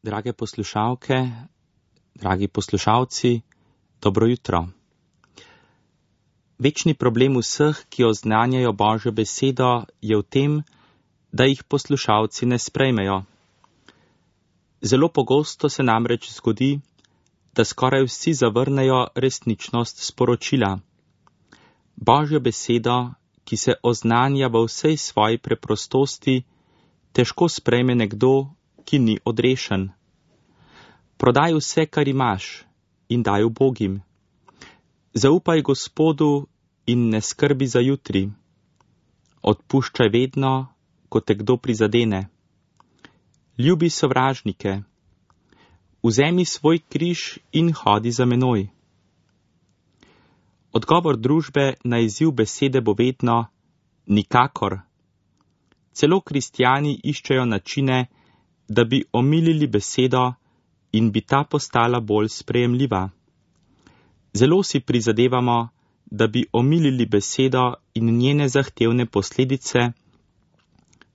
drage poslušalke, dragi poslušalci, dobro jutro. Večni problem vseh, ki oznanjajo Božjo besedo, je v tem, da jih poslušalci ne sprejmejo. Zelo pogosto se namreč zgodi, da skoraj vsi zavrnejo resničnost sporočila. Božjo besedo, ki se oznanja v vsej svoji preprostosti, težko sprejme nekdo, ki ni odrešen. Prodaj vse, kar imaš, in daj ubogim. Zaupaj Gospodu in ne skrbi za jutri. Odpuščaj vedno, ko te kdo prizadene. Ljubi sovražnike. Vzemi svoj križ in hodi za menoj. Odgovor družbe na izziv besede bo vedno nikakor. Celo kristjani iščejo načine, da bi omilili besedo in bi ta postala bolj sprejemljiva. Zelo si prizadevamo, da bi omilili besedo in njene zahtevne posledice,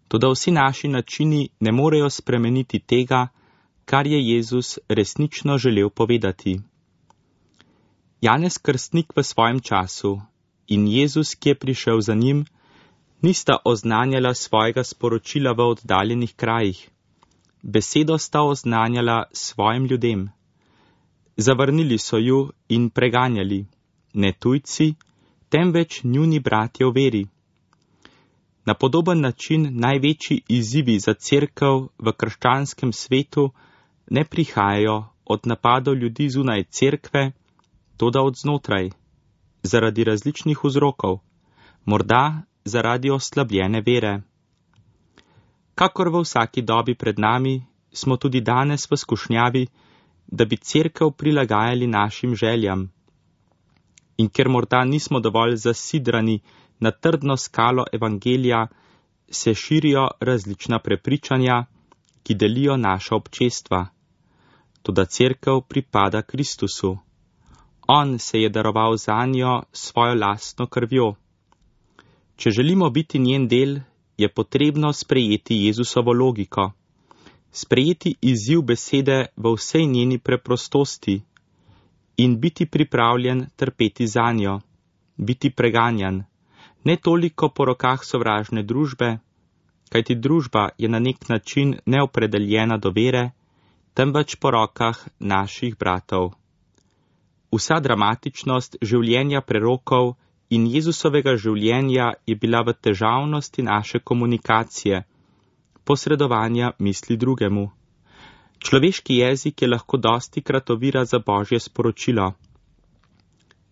toda vsi naši načini ne morejo spremeniti tega, kar je Jezus resnično želel povedati. Janez Krstnik v svojem času in Jezus, ki je prišel za njim, nista oznanjala svojega sporočila v oddaljenih krajih. Besedo sta oznanjala svojim ljudem. Zavrnili so ju in preganjali, ne tujci, temveč njuni bratje v veri. Na podoben način največji izzivi za cerkev v krščanskem svetu ne prihajajo od napadov ljudi zunaj cerkve, toda od znotraj, zaradi različnih vzrokov, morda zaradi oslabljene vere. Kakor v vsaki dobi pred nami, smo tudi danes v skušnjavi, da bi cerkev prilagajali našim željam. In ker morda nismo dovolj zasidrani na trdno skalo evangelija, se širijo različna prepričanja, ki delijo naša občestva. Toda cerkev pripada Kristusu. On se je daroval zanjo svojo lastno krvjo. Če želimo biti njen del, je potrebno sprejeti Jezusovo logiko, sprejeti izziv besede v vsej njeni preprostosti in biti pripravljen trpeti zanjo, biti preganjan, ne toliko po rokah sovražne družbe, kajti družba je na nek način neopredeljena do vere, temveč po rokah naših bratov. Vsa dramatičnost življenja prerokov in Jezusovega življenja je bila v težavnosti naše komunikacije, posredovanja misli drugemu. Človeški jezik je lahko dostikrat ovira za Božje sporočilo.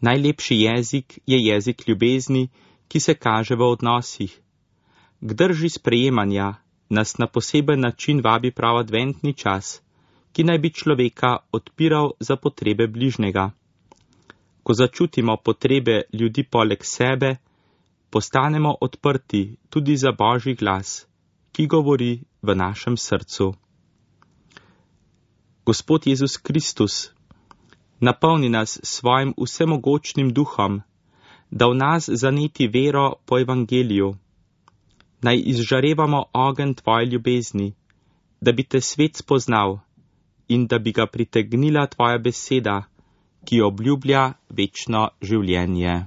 Najlepši jezik je jezik ljubezni, ki se kaže v odnosih. K drži sprejemanja nas na poseben način vabi prav adventni čas, ki naj bi človeka odpiral za potrebe bližnjega. Ko začutimo potrebe ljudi poleg sebe, postanemo odprti tudi za Božji glas, ki govori v našem srcu. Gospod Jezus Kristus, napolni nas svojim vsemogočnim duhom, da v nas zaneti vero po evangeliju. Naj izžarevamo ogenj tvoje ljubezni, da bi te svet spoznal in da bi ga pritegnila tvoja beseda, ki obljublja večno življenje.